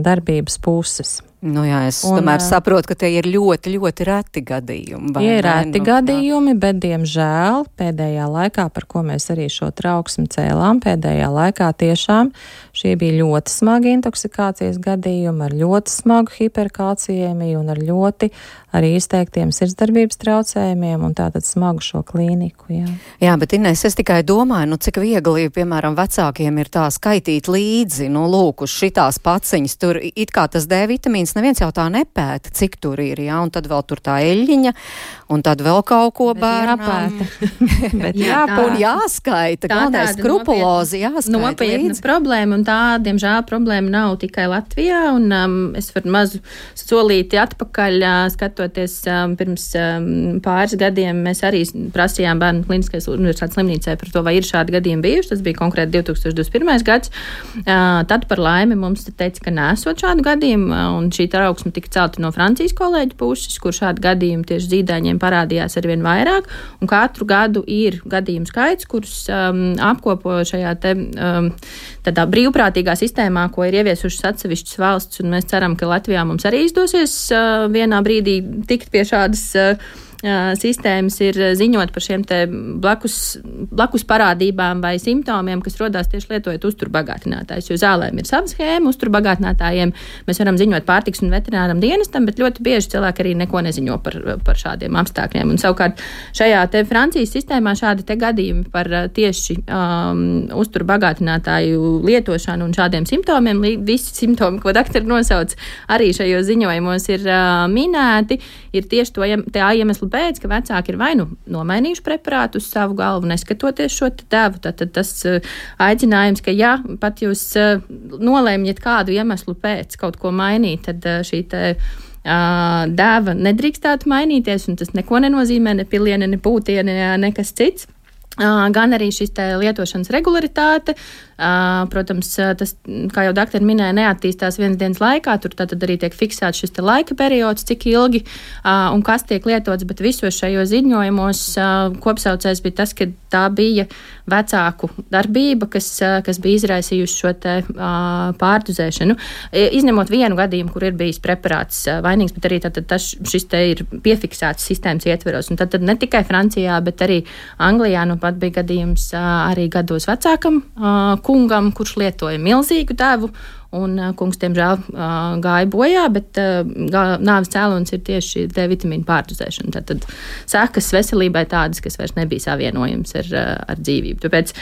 darbības puses. Es tomēr saprotu, ka tie ir ļoti, ļoti reti gadījumi. Tie ir reti gadījumi, bet, diemžēl, pēdējā laikā, par ko mēs arī šo trauksmi cēlām, pēdējā laikā tiešām šie bija ļoti smagi intoksikācijas gadījumi, ar ļoti smagu hiperkalciēmiju un ar ļoti arī izteiktiem sirdsdarbības traucējumiem un tātad smagu šo klīniku. Jā, bet Inês, es tikai domāju, cik viegli, piemēram, vecākiem ir tā skaitīt līdzi, lūk, uz šitās paciņas, tur it kā tas D vitamīns neviens jau tā nepēta, cik tur ir, un tad vēl tur tā eļļiņa, un tad vēl kaut ko bērnām. Un jāskaita, galvenais skrupulozi jāskaita nopietna līdzi. Problēma, un tā, diemžēl, problēma nav tikai Latvijā, un es varu mazu solīti atpakaļ, skatoties pirms pāris gadiem, mēs arī prasījām Bērnu Kliniskais universitātes slimnīcai par to, vai ir šādi gadījumi bijuši, tas bija konkrēti 2021. gads, tad par laimi mums teica, ka nesot šādu gadījumu, un šī trauksme tika celta no Francijas kolēģu puses, kur šādi gadījumi tieši zīdaiņiem parādījās arvien vairāk, un katru gadu ir gadījumu skaits, kurus apkopo šajā tādā brīvprātīgā sistēmā, ko ir ieviesušas atsevišķas valsts, un mēs ceram, ka Latvijā mums arī izdosies vienā brīdī tikt pie šādas sistēmas, ir ziņot par šiem te blakus parādībām vai simptomiem, kas rodās tieši lietojot uzturbagātinātājus, jo zālēm ir sava schēma, uzturbagātinātājiem mēs varam ziņot pārtiks un veterināram dienestam, bet ļoti bieži cilvēki arī neko neziņo par šādiem apstākļiem. Un savukārt šajā te Francijas sistēmā šādi te gadījumi par tieši uzturbagātinātāju lietošanu un šādiem simptomiem, visi simptomi, ko doktori nosauc, arī šajos ziņojumos ir minēti, ir tieši tā iemeslu pēc, ka vecāki ir vai nomainījuši preparātu uz savu galvu, neskatoties šo devu. Tad tas aicinājums, ka ja pat jūs nolēmjat kādu iemeslu pēc kaut ko mainīt, tad šī te dēva nedrīkstētu mainīties, un tas neko nenozīmē, ne piliene, ne pūtiene, nekas cits. Gan arī šis lietošanas regularitāte. Protams, tas, kā jau doktori minēja, neattīstās vienas dienas laikā. Tur tad arī tiek fiksēts šis laika periods, cik ilgi un kas tiek lietots, bet visos šajos ziņojumos kopsaucējs bija tas, ka tā bija vecāku darbība, kas bija izraisījusi šo pārdozēšanu. Izņemot vienu gadījumu, kur ir bijis preparāts vainīgs, bet arī šis ir piefiksēts sistēmas ietveros. Un tad ne tikai Francijā, bet arī Anglijā pat bija gadījums arī gados vecākam kungam, kurš lietoja milzīgu devu, un kungs, diemžēl, gāja bojā, bet nāves cēlonis ir tieši D-vitamīna pārdozēšana. Tad sekas veselībai tādas, kas vairs nebija savienojams ar dzīvību. Tāpēc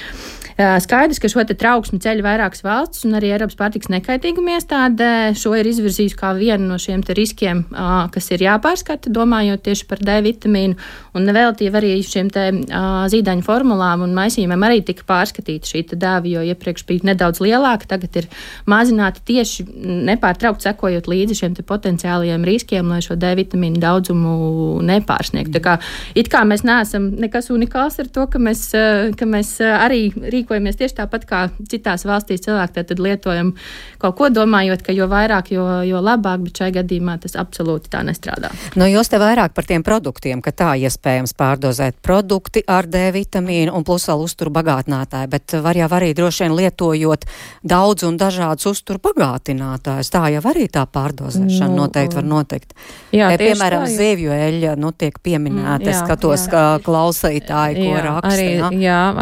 skaidrs, ka šo trauksmi ceļ vairākas valsts, un arī Eiropas pārtikas nekaitīguma iestāde šo ir izvirzījusi kā vienu no šiem riskiem, kas ir jāpārskata, domājot tieši par D-vitamīnu, un neveltīvi arī šiem zīdaiņu formulām un maisījumiem arī tika pārskatīta šī dēva, jo iepriekš bija nedaudz lielāka, tagad ir mazināti tieši nepārtraukt sekojot līdzi šiem potenciālajiem riskiem, lai šo D-vitamīnu daudzumu nepārsniegtu. Tā kā it kā mēs neesam nekas unikāls ar to, ka mēs arī rīkojamies tieši tāpat kā citās valstīs cilvēki, tad lietojam kaut ko domājot, ka jo vairāk, jo labāk, bet šai gadījumā tas absolūti tā nestrādā. Jūs te vairāk par tiem produktiem, ka tā iespējams pārdozēt produkti ar D-vitamīnu un plus vēl uzturu bagātinātāju, bet var jau arī droši vien lietojot daudz un dažādus uzturu bagātinātājus. Tā jau arī tā pārdozēšana noteikti var notikt. Jā, piemēram, zivju eļļa, tiek pieminēta. Es skatos, kā klausītāji, ko raksta.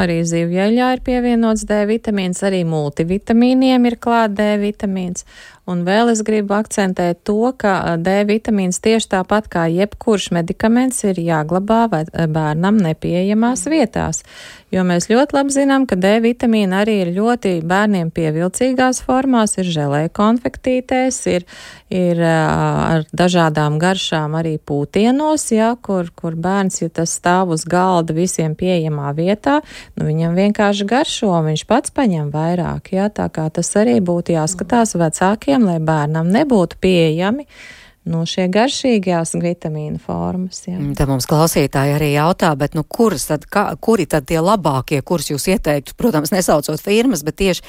Arī zivju eļļā ir pievienots D-vitamīns, arī multivitamīniem ir klāt D-vitamīns. Un vēl es gribu akcentēt to, ka D-vitamīns tieši tāpat kā jebkurš medikaments ir jāglabā bērnam nepieejamās vietās. Jo mēs ļoti labi zinām, ka D-vitamīna arī ir ļoti bērniem pievilcīgās formās, ir želē konfektītēs, ir ar dažādām garšām arī pūtienos, kur bērns, ja tas stāv uz galda visiem pieejamā vietā, viņam vienkārši garšo, viņš pats paņem vairāk, tā kā tas arī būtu jāskatās vecākiem, lai bērnam nebūtu pieejami šie garšīgās vitamīna formas. Tad mums klausītāji arī jautā, bet kuri tad tie labākie, kurus jūs ieteiktu, protams, nesaucot firmas, bet tieši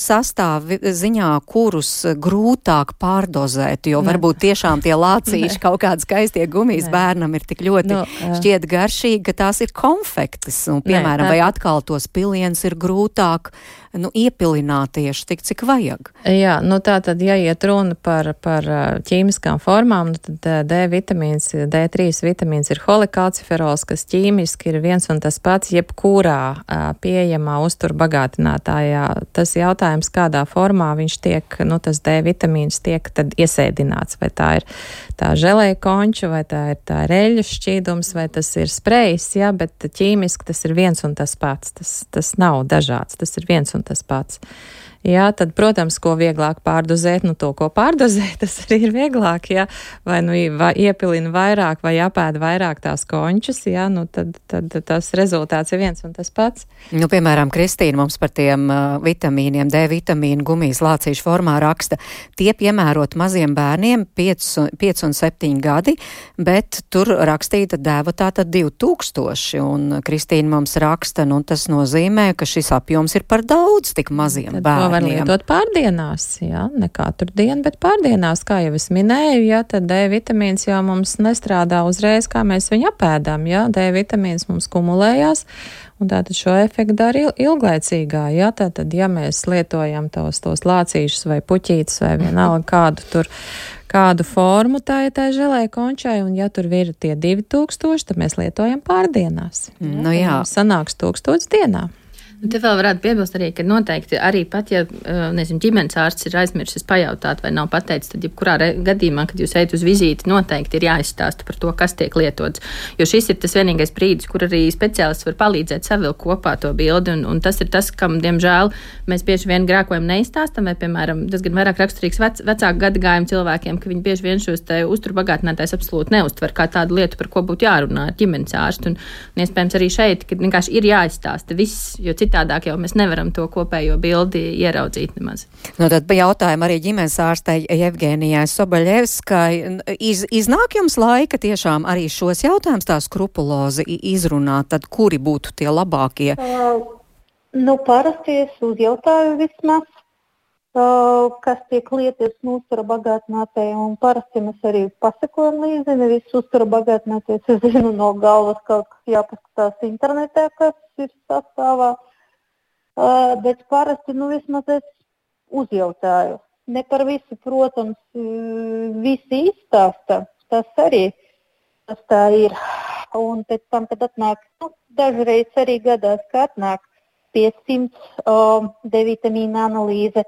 sastāv ziņā, kurus grūtāk pārdozēt, jo varbūt tiešām tie lācīši kaut kādi skaistie gumijas bērnam ir tik ļoti šķiet garšīgi, ka tās ir konfektes, un piemēram, vai atkal tos pilienus ir grūtāk iepilināt tieši tik, cik vajag. Jā, tā tad, ja iet runa par ķīmiskām formām, tad D-vitamīns, D3 vitamīns ir holikalciferols, kas ķīmiski ir viens un tas pats jebkurā pieejamā uzturu bagātinātājā. Tas jautājums, kādā formā viņš tiek, tas D-vitamīns tiek tad iesēdināts, vai tā ir tā želē konča, vai tā ir eļļu šķīdums, vai tas ir sprejs, bet ķīmiski tas ir viens un tas pats. Tas nav dažāds, tas ir viens un tas pats. Tad, protams, ko vieglāk pārdozēt, to, ko pārdozēt, tas arī ir vieglāk, vai iepilina vairāk, vai apēd vairāk tās končas, tad tas rezultāts ir viens un tas pats. Piemēram, Kristīna mums par tiem vitamīniem, D-vitamīnu gumijas lācīšu formā raksta, tie piemērot maziem bērniem 5 un 7 gadi, bet tur rakstīta deva tātad 2000, un Kristīna mums raksta, tas nozīmē, ka šis apjoms ir par daudz tik maziem bērniem. Var lietot pārdienās, ne katru dienu, bet pārdienās, kā jau es minēju, tad D-vitamīns jau mums nestrādā uzreiz, kā mēs viņu apēdam, D-vitamīns mums kumulējās, un tātad šo efektu dara ilglaicīgā, tātad, ja mēs lietojam tos lācīšus vai puķītes vai vienalga kādu formu tā želē končai, un ja tur ir tie 2000, tad mēs lietojam pārdienās. Sanāks 1000 dienā. Te vēl varētu piebilst arī, ka noteikti arī pat, ja, ģimenes ārsts ir aizmirsis pajautāt vai nav pateicis, tad jebkurā gadījumā, kad jūs ejat uz vizīti, noteikti ir jāizstāsta par to, kas tiek lietots. Jo šis ir tas vienīgais brīdis, kur arī speciālists var palīdzēt savilkt kopā to bildi, un tas ir tas, kam, diemžēl, mēs bieži vien grēkojam neizstāstam, vai, piemēram, tas gan vairāk raksturīgs vecāku gadagājumu cilvēkiem, ka viņi bieži vien šos te uzturu bagātinātājs absolūti neuztver kā tādu lietu, par ko būtu jārunā ar ģimenes ārstu, un iespējams arī šeit, kad vienkārši ir jāizstāsta viss, jo citādāk jau mēs nevaram to kopējo bildi ieraudzīt nemaz. Nu, tad jautājumu arī ģimenes ārstei Jevgenijai Sobaļevskai. Iznāk jums laika tiešām arī šos jautājumus tā skrupulozi izrunāt, tad kuri būtu tie labākie? Parasti es uzjautāju vismaz, kas tiek lietas uztura bagātinātājai, un parasti mēs arī pasakojam līdzi, nevis uztura bagātinātājs, es zinu no galvas kaut kas jāpaskatās internetā, kas ir sastāvā, bet parasti, vismaz es uzjautāju. Ne par visu, protams, visi izstāsta, tas arī, tas tā ir, un pēc tam, kad atnāk, dažreiz arī gadās, ka atnāk 500 D-vitamīna analīze,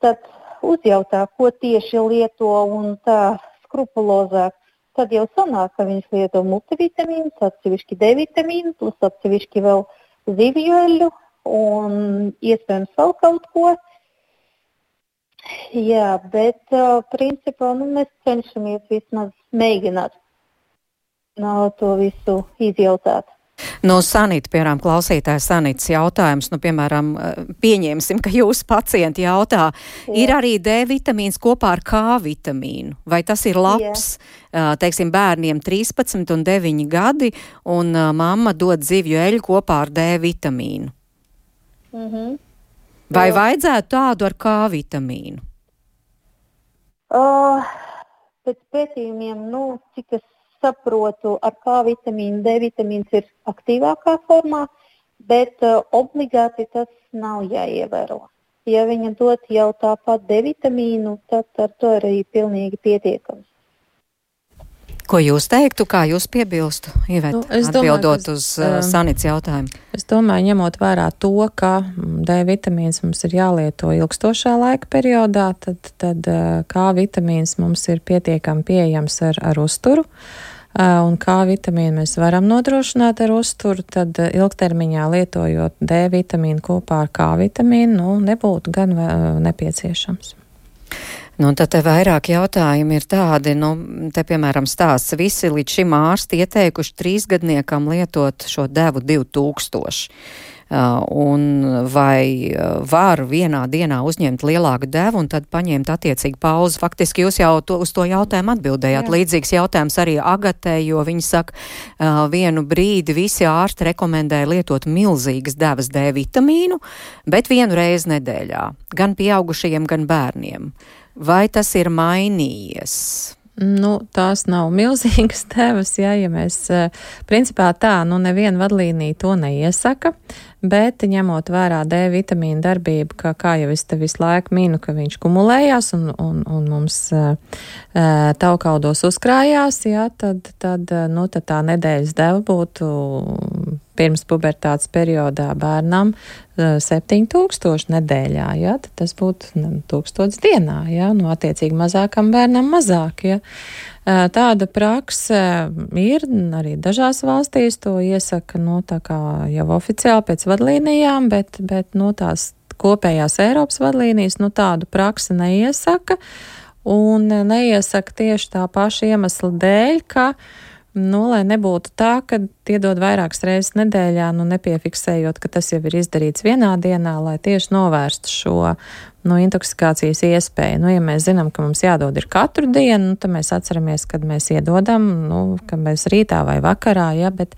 tad uzjautā, ko tieši lieto un tā skrupulozāk. Tad jau sanāk, ka viņš lieto multivitamīnus, atsevišķi D-vitamīnu, plus atsevišķi vēl zivju eļļu un iespējams vēl kaut ko. Jā, bet principā mēs cenšamies vismaz mēģināt to visu izjautāt. Sanita, piemēram, klausītāja Sanitas jautājums, piemēram, pieņemsim, ka jūs pacienti jautā, ir arī D-vitamīns kopā ar K-vitamīnu, vai tas ir labs, teiksim, bērniem 13 un 9 gadi, un mamma dod zivju eļu kopā ar D-vitamīnu? Vai vajadzētu tādu ar K-vitamīnu? Pēc pētījumiem, cik es saprotu, ar K-vitamīnu, D-vitamīns ir aktīvākā formā, bet obligāti tas nav jāievēro. Ja viņa dod jau tāpat D-vitamīnu, tad ar to arī pilnīgi pietiekams. Ko jūs teiktu, kā jūs piebilstu, Iveta, atbildot uz Sanits jautājumu? Es domāju, ņemot vērā to, ka D-vitamīns mums ir jālieto ilgstošā laika periodā, tad K-vitamīns mums ir pietiekami pieejams ar uzturu, un K-vitamīnu mēs varam nodrošināt ar uzturu, tad ilgtermiņā lietojot D-vitamīnu kopā ar K-vitamīnu, nebūtu gan nepieciešams. Tad te vairāk jautājumi ir tādi, te piemēram stāsts, visi līdz šim ārsti ieteikuši 3-gadniekam lietot šo devu 2000. Un vai var vienā dienā uzņemt lielāku devu un tad paņemt attiecīgi pauzi? Faktiski jūs jau uz to jautājumu atbildējāt. Jā. Līdzīgs jautājums arī Agatē, jo viņi saka, vienu brīdi visi ārsti rekomendēja lietot milzīgas devas D-vitamīnu, bet vienu reizi nedēļā, gan pieaugušajiem, gan bērniem. Vai tas ir mainījies? Tās nav milzīgas devas, ja mēs, principā neviena vadlīnija to neiesaka, bet ņemot vērā D-vitamīna darbību, kā jau es te visu laiku minu, ka viņš kumulējās un mums taukaudos uzkrājās, tad tā nedēļas deva būtu pirms pubertātes periodā bērnam 7000 nedēļā, tad tas būtu 1000 dienā, attiecīgi mazākam bērnam mazāk, Tāda prakse ir arī dažās valstīs, to iesaka, tā kā jau oficiāli pēc vadlīnijām, bet tās kopējās Eiropas vadlīnijas, tādu praksi neiesaka, un neiesaka tieši tā paša iemesla dēļ, ka lai nebūtu tā, ka iedod vairākas reizes nedēļā, nepiefiksējot, ka tas jau ir izdarīts vienā dienā, lai tieši novērstu šo intoksikācijas iespēju. Ja mēs zinām, ka mums jādod ir katru dienu, tad mēs atceramies, kad mēs iedodam, ka mēs rītā vai vakarā, bet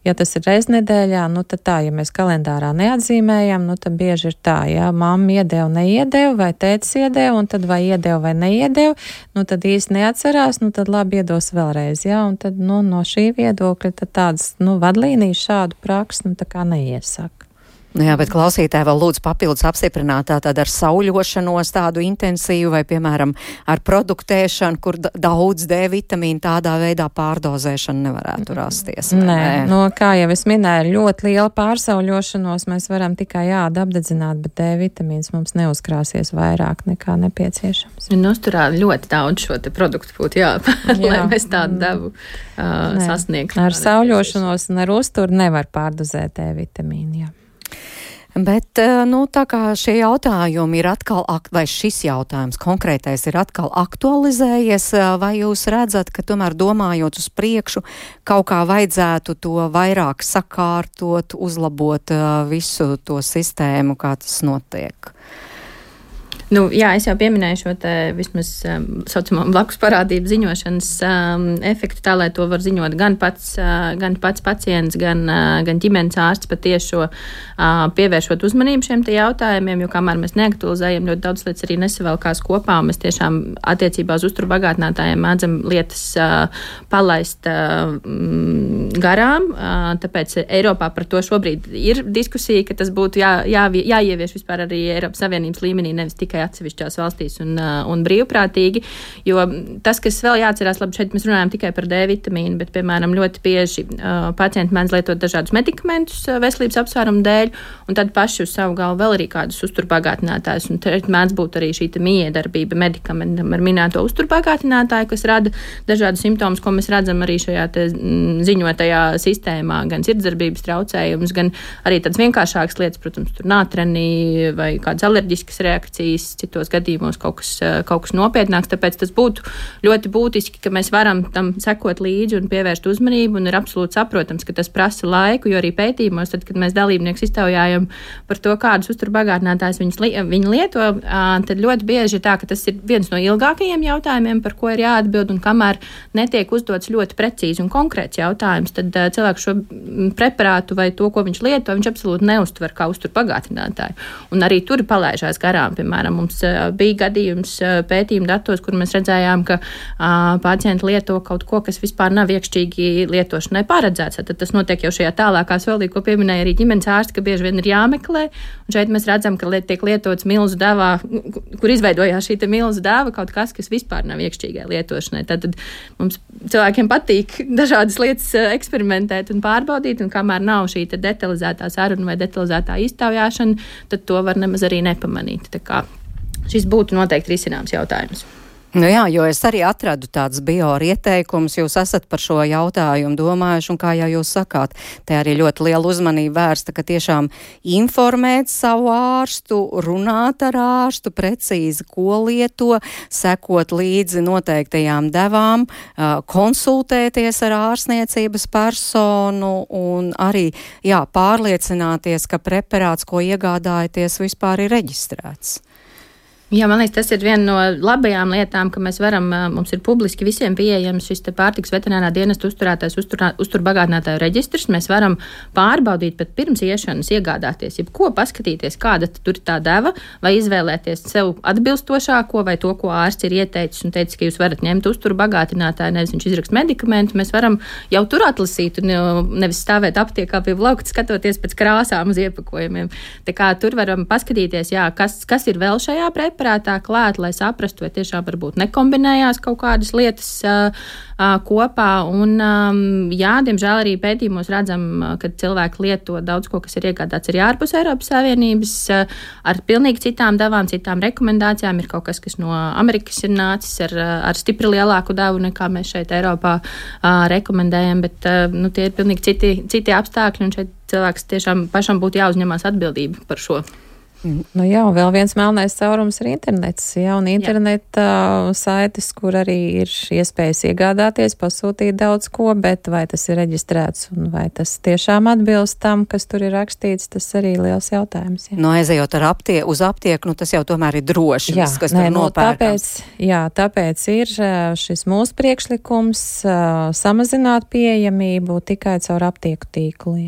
ja tas ir reiz nedēļā, tad tā, ja mēs kalendārā neatzīmējam, tad bieži ir tā, mamma iedeva, neiedeva, vai tētis iedeva, un tad vai iedeva vai neiedeva, tad īsti neatcerās, tad labi iedos vēlreiz, un tad, no šī viedokļa, tad tādas, vadlīnijas šādu praksi, tā kā neiesaka. Jā, bet klausītāji vēl lūdzu papildus apstiprināt tātad ar sauļošanos tādu intensīvu vai, piemēram, ar produktēšanu, kur daudz D-vitamīnu tādā veidā pārdozēšana nevarētu rasties. Nē, kā jau es minēju, ļoti liela pārsauļošanos mēs varam tikai apdedzināt, bet D-vitamīns mums neuzkrāsies vairāk nekā nepieciešams. Uzturā ļoti daudz šo te produktu būtu lai mēs tādu devu sasniegtu. Ar sauļošanos un ar uzturu nevar pārdozēt D-vitamīnu, Bet, tā kā šie jautājumi ir atkal, vai šis jautājums konkrētais ir atkal aktualizējies, vai jūs redzat, ka tomēr domājot uz priekšu, kaut kā vajadzētu to vairāk sakārtot, uzlabot visu to sistēmu, kā tas notiek? Jā, es jau pieminēju šo te vismaz saucamo blakus parādību ziņošanas efektu, tā lai to var ziņot gan pats pacients, gan ģimenes ārsts patiešo pievēršot uzmanību šiem te jautājumiem, jo kamēr mēs neaktualizējam, ļoti daudz lietas arī nesavelkās kopā, un mēs tiešām attiecībā uz uzturu bagātinātājiem mēdzam lietas palaist garām, tāpēc Eiropā par to šobrīd ir diskusija, ka tas būtu jāievieš vispār arī Eiropas Savienības līmenī, nevis tikai atsevišķās valstīs un brīvprātīgi, jo tas, kas vēl jāatcerās, labi, šeit mēs runājam tikai par D vitamīnu, bet, piemēram, ļoti bieži pacienti mēdz lietot dažādus medikamentus veselības apsvērumu dēļ, un tad paši uz savu galvu vēl arī kādus uzturbagātinātājus, un te mēdz būt arī šī miedarbība medikamentam ar minēto uzturbagātinātāju, kas rada dažādus simptomus, ko mēs redzam arī šajā te ziņotajā sistēmā, gan sirdsdarbības traucējumus, gan arī tādas vienkāršākas lietas, protams, tur nātreni vai kādas alerģiskas reakcijas, citos gadījumos kaut kas nopietnāks, tāpēc tas būtu ļoti būtiski, ka mēs varam tam sekot līdzi un pievērst uzmanību, un ir absolūti saprotams, ka tas prasa laiku, jo arī pētījumos, tad, kad mēs dalībnieks iztaujājam par to, kādus uzturbagātinātājus viņi lieto, tad ļoti bieži ir tā, ka tas ir viens no ilgākajiem jautājumiem, par ko ir jāatbild, un kamēr netiek uzdots ļoti precīzi un konkrēts jautājums, tad cilvēks šo preparātu vai to, ko viņš lieto, viņš absolūti neuztver kā uzturbagātinātāju. Un arī tur palaižās garām, piemēram, mums bija gadījums pētījuma datos, kur mēs redzējām, ka pacienti lieto kaut ko, kas vispār nav iekšķīgi lietošanai paredzēts. Tad tas notiek jau šajā tālākā solī, ko pieminēja arī ģimenes ārsti, ka bieži vien ir jāmeklē. Un šeit mēs redzam, ka tiek lietots milzu devā, kur izveidojās šī milzu deva, kaut kas vispār nav iekšķīgai lietošanai. Tad mums cilvēkiem patīk dažādas lietas eksperimentēt un pārbaudīt, un kamēr nav šī detalizētā saruna vai detalizētā iztaujāšana, tad to var nemaz arī nepamanīt. Tā kā šis būtu noteikti risināms jautājums. Jā, jo es arī atradu tāds ieteikums, jūs esat par šo jautājumu domājuši, un kā jau jūs sakāt, te arī ļoti liela uzmanība vērsta, ka tiešām informēt savu ārstu, runāt ar ārstu, precīzi, ko lieto, sekot līdzi noteiktajām devām, konsultēties ar ārstniecības personu un arī, pārliecināties, ka preparāts, ko iegādājaties, vispār ir reģistrēts. Jā, man liekas, tas ir viena no labajām lietām, ka mēs varam, mums ir publiski visiem pieejams šis te pārtikas veterinārā dienesta uzturētais uzturbagātinātāju reģistrs. Mēs varam pārbaudīt pat pirms iešanas, iegādāties, jebko paskatīties, kāda tur ir tā deva, vai izvēlēties sev atbilstošāko, vai to, ko ārsts ir ieteicis un teicis, ka jūs varat ņemt uzturbagātinātāju, nevis viņš izrakst medikamentu. Mēs varam jau tur atlasīt un nevis stāvēt aptiekā pie plaukta, skatoties pēc krāsām uz iepakojumiem. Tā kā tur varam paskatīties, kas ir vēl šajā preparātā klāt, lai saprastu, vai tiešām varbūt nekombinējās kaut kādas lietas kopā. Un, diemžēl arī pētījumos redzam, ka cilvēki lieto daudz ko, kas ir iegādāts arī ārpus Eiropas Savienības, ar pilnīgi citām devām, citām rekomendācijām. Ir kaut kas no Amerikas ir nācis ar stipri lielāku devu, nekā mēs šeit Eiropā rekomendējam, bet tie ir pilnīgi citi apstākļi, un šeit cilvēks tiešām pašam būtu jāuzņemās atbildība par šo. Vēl viens melnais caurums ir internets. Un interneta saites, kur arī ir iespējas iegādāties, pasūtīt daudz ko, bet vai tas ir reģistrēts un vai tas tiešām atbilst tam, kas tur ir rakstīts, tas arī liels jautājums. Aizejot uz aptieku, tas jau tomēr ir droši, kas tur nopērkams. Tāpēc ir šis mūsu priekšlikums samazināt pieejamību tikai caur aptieku tīklu.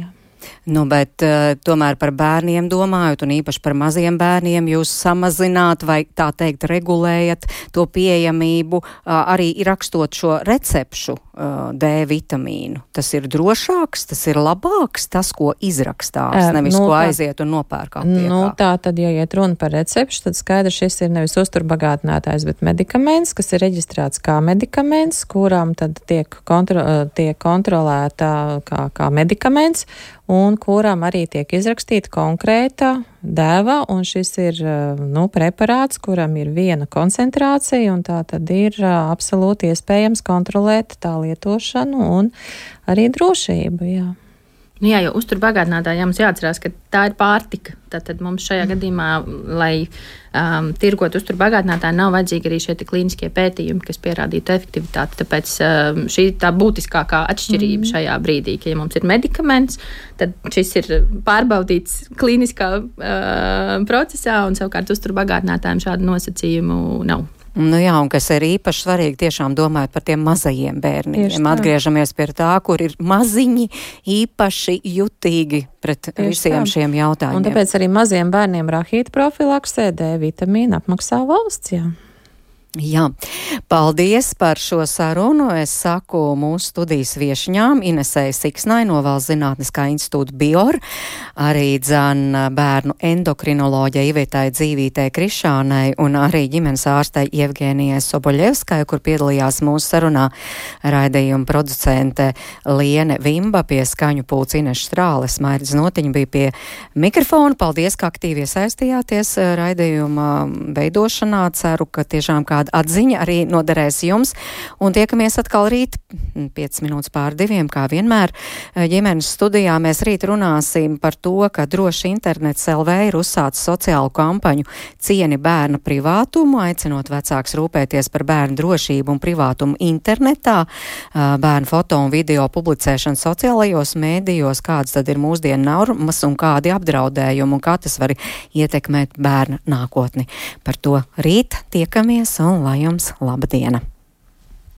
Bet tomēr par bērniem domājot, un īpaši par maziem bērniem, jūs samazināt vai tā teikt regulējat to pieejamību, arī rakstot šo recepšu D vitamīnu. Tas ir drošāks, tas ir labāks, tas, ko izrakstās, nevis ko aiziet un nopērk aptiekā. Tā tad, ja iet runa par recepšu, tad skaidrs, šis ir nevis uzturbagātinātājs, bet medikaments, kas ir reģistrēts kā medikaments, kuram tad tiek kontrolēta kā medikaments, un kuram arī tiek izrakstīta konkrēta deva, un šis ir preparāts, kuram ir viena koncentrācija, un tā tad ir absolūti iespējams kontrolēt tā lietošanu un arī drošību, Nu jā, jo uzturbagātinātājiem mums jāatcerās, ka tā ir pārtika. Tātad mums šajā gadījumā, lai tirgot uzturbagātinātāju, nav vajadzīgi arī šie klīniskie pētījumi, kas pierādītu efektivitāti. Tāpēc šī tā būtiskākā atšķirība šajā brīdī, ka ja mums ir medikaments, tad šis ir pārbaudīts klīniskā procesā, un savukārt uzturbagātinātājiem šādu nosacījumu nav. Nu jā, un kas ir īpaši svarīgi, tiešām domājot par tiem mazajiem bērniem. Atgriežamies pie tā, kur ir maziņi īpaši jutīgi pret visiem šiem jautājumiem. Un tāpēc arī maziem bērniem rahīta profilaksē D vitamīnu apmaksā valsts, jā. Jā, paldies par šo sarunu. Es saku mūsu studijas viešņām Inesei Siksnai no Valsts zinātniskā institūta BIOR, arī bērnu endokrinoloģei Ivetai Dzīvītei Krišānai un arī ģimenes ārstei Jevgenijai Soboļevskai, kur piedalījās mūsu sarunā raidījuma producente Liene Vimba, pie skaņu pults Ineša Strāles, Mairidz Notiņa bija pie mikrofona. Paldies, ka aktīvi iesaistījāties raidījuma veidošanā. Ceru, ka tiešām atziņa arī noderēs jums, un tiekamies atkal rīt 5 minūtes pār 2, kā vienmēr. Ģimenes studijā mēs rīt runāsim par to, ka Droši internets LV ir uzsācis sociālu kampaņu Cieni bērna privātumu, aicinot vecāks rūpēties par bērnu drošību un privātumu internetā, bērnu foto un video publicēšanu sociālajos mēdījos, kādas tad ir mūsdienu normas un kādi apdraudējumi un kā tas var ietekmēt bērna nākotni. Par to rīt tiekamies un lai jums laba diena!